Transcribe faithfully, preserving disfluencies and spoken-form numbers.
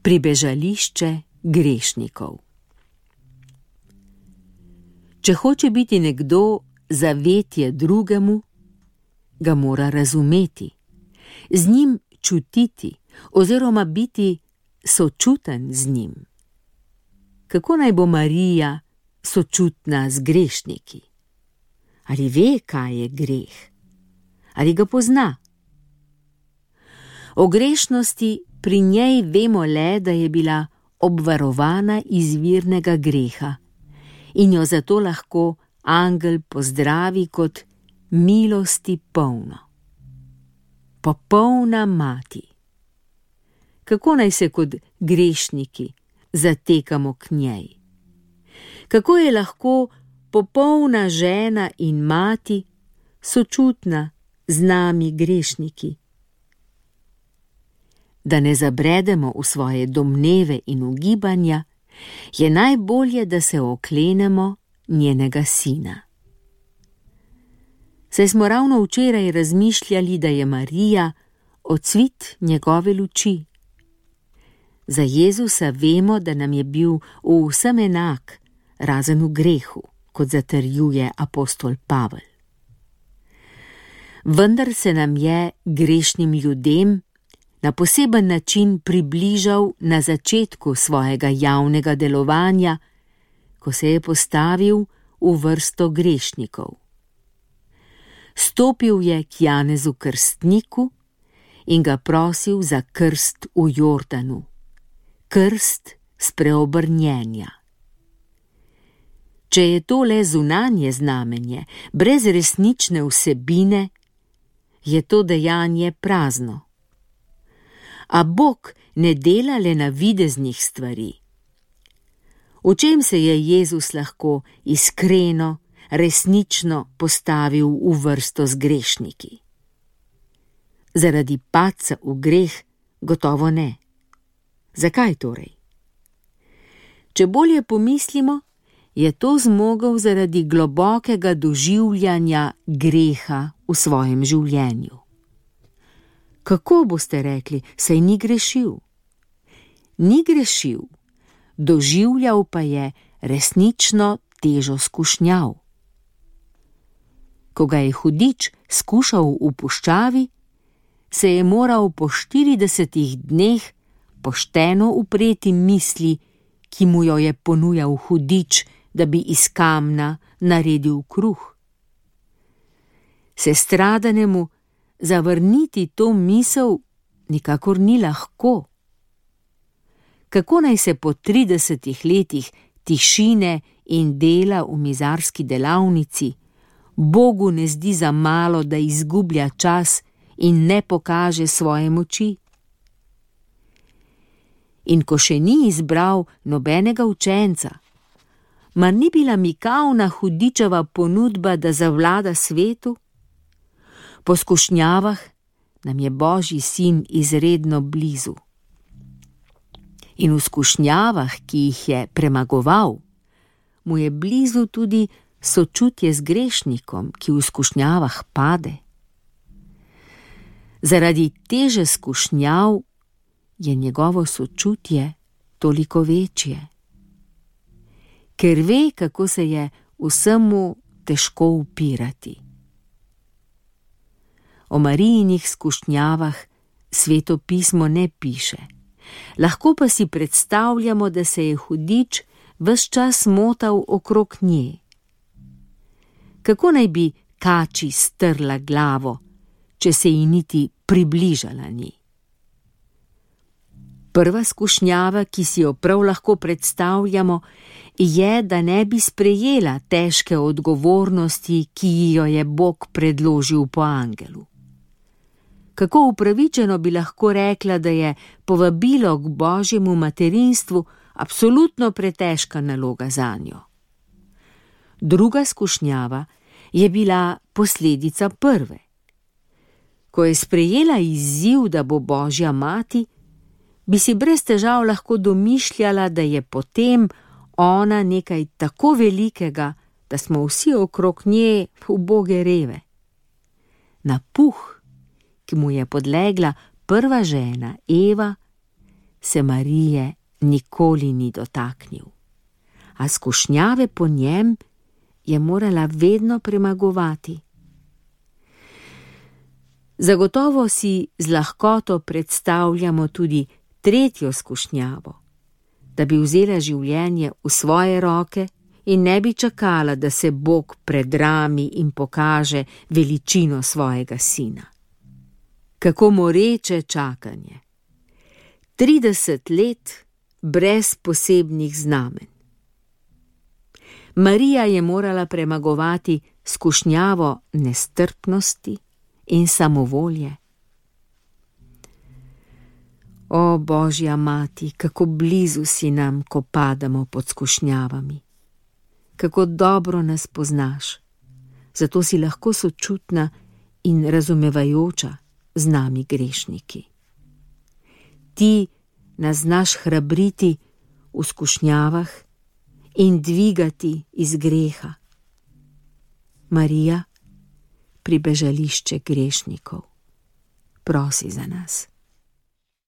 pribežališče grešnikov. Če hoče biti nekdo zavetje drugemu, ga mora razumeti, z njim čutiti oziroma biti sočuten z njim. Kako naj bo Marija sočutna z grešniki? Ali ve, kaj je greh? Ali ga pozna? O grešnosti pri njej vemo le, da je bila obvarovana izvirnega greha in jo zato lahko angel pozdravi kot milosti polno. Popolna mati. Kako naj se kot grešniki zatekamo k njej? Kako je lahko popolna žena in mati sočutna z nami grešniki? Da ne zabredemo v svoje domneve in ugibanja, je najbolje, da se oklenemo njenega sina. Saj smo ravno včeraj razmišljali, da je Marija ocvit njegove luči. Za Jezusa vemo, da nam je bil v vsem enak, razen v grehu, kot zatrjuje apostol Pavel. Vendar se nam je, grešnim ljudem, na poseben način približal na začetku svojega javnega delovanja, ko se je postavil v vrsto grešnikov. Stopil je k Janezu krstniku in ga prosil za krst v Jordanu, krst spreobrnjenja. Če je to le zunanje znamenje, brez resnične vsebine, je to dejanje prazno. A Bog ne dela le navideznih stvari. V čem se je Jezus lahko iskreno, resnično postavil v vrsto z grešniki? Zaradi padca v greh gotovo ne. Zakaj torej? Če bolje pomislimo, je to zmogel zaradi globokega doživljanja greha v svojem življenju. Kako boste rekli, saj ni grešil? Ni grešil, doživljal pa je resnično težo skušnjav. Ko ga je hudič skušal v puščavi, se je moral po štiridesetih dneh pošteno upreti misli, ki mu jo je ponujal hudič, da bi iz kamna naredil kruh. Sestradanemu zavrniti to misel nikakor ni lahko. Kako naj se po tridesetih letih tišine in dela v mizarski delavnici Bogu ne zdi za malo, da izgublja čas in ne pokaže svoje moči? In ko še ni izbral nobenega učenca, mar ni bila mikavna hudičeva ponudba, da zavlada svetu? Po skušnjavah nam je Božji sin izredno blizu. In v skušnjavah, ki jih je premagoval, mu je blizu tudi sočutje z grešnikom, ki v skušnjavah pade. Zaradi teže skušnjav je njegovo sočutje toliko večje. Ker ve, kako se je vsemu težko upirati. O Marijinih skušnjavah Sveto pismo ne piše, lahko pa si predstavljamo, da se je hudič ves čas motal okrog nje. Kako naj bi kači strla glavo, če se ji niti približala ni? Prva skušnjava, ki si jo prav lahko predstavljamo, je, da ne bi sprejela težke odgovornosti, ki ji jo je Bog predložil po angelu. Kako upravičeno bi lahko rekla, da je povabilo k Božjemu materinstvu absolutno pretežka naloga zanjo. Druga skušnjava je bila posledica prve. Ko je sprejela izziv, da bo Božja mati, bi si brez težav lahko domišljala, da je potem ona nekaj tako velikega, da smo vsi okrog nje uboge reve. Napuh, ki mu je podlegla prva žena Eva, se Marije nikoli ni dotaknil, a skušnjave po njem je morala vedno premagovati. Zagotovo si z lahkoto predstavljamo tudi tretjo skušnjavo, da bi vzela življenje v svoje roke in ne bi čakala, da se Bog predrami in pokaže veličino svojega sina. Kako moreče čakanje! trideset let brez posebnih znamen. Marija je morala premagovati skušnjavo nestrpnosti in samovolje. O Božja mati, kako blizu si nam, ko padamo pod skušnjavami. Kako dobro nas poznaš, zato si lahko sočutna in razumevajoča z nami grešniki. Ti nas znaš hrabriti v skušnjavah in dvigati iz greha. Marija, pribežališče grešnikov, prosi za nas.